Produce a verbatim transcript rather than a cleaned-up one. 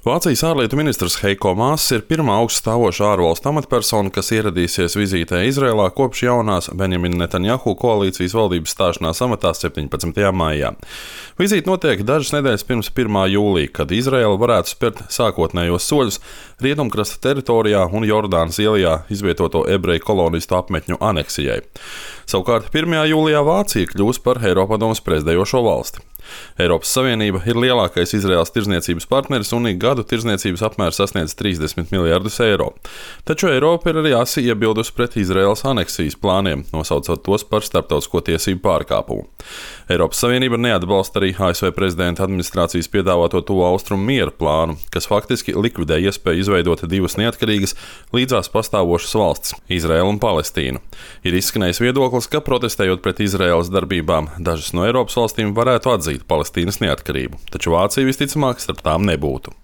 Vācijas ārlietu ministrs Heiko Maass ir pirmā augststāvošā ārvalstu amatpersona, kas ieradīsies vizītē Izrēlā kopš jaunās Benjamina Netanjahu koalīcijas valdības stāšanās amatā septiņpadsmitajā maijā. Vizīte notiek dažas nedēļas pirms pirmā jūlija, kad Izrēla varētu spērt sākotnējos soļus Rietumkrasta teritorijā un Jordānas ielijā izvietoto ebreju kolonistu apmetņu aneksijai. Savukārt pirmajā jūlijā Vācija kļūs par Eiropadomes prezidējošo valsti. Eiropas Savienība ir lielākais Izraēlas tirdzniecības partneris un ik gadu tirdzniecības apmērs sasniedz trīsdesmit miljardus eiro. Taču Eiropa ir arī asi iebildusi pret Izraēlas aneksijas plāniem, nosaucot tos par starptautisko tiesību pārkāpumu. Eiropas Savienība neatbalsta arī A S V prezidenta administrācijas piedāvāto Tuvo Austrumu miera plānu, kas faktiski likvidē iespēju izveidot divas neatkarīgas, līdzās pastāvošas valstis - Izraēlu un Palestīnu. Ir izskanējis viedoklis, ka protestējot pret Izraēlas darbībām, dažas no Eiropas valstīm varētu atzīt Palestīnas neatkarību, taču Vācija visticamāk starp tām nebūtu.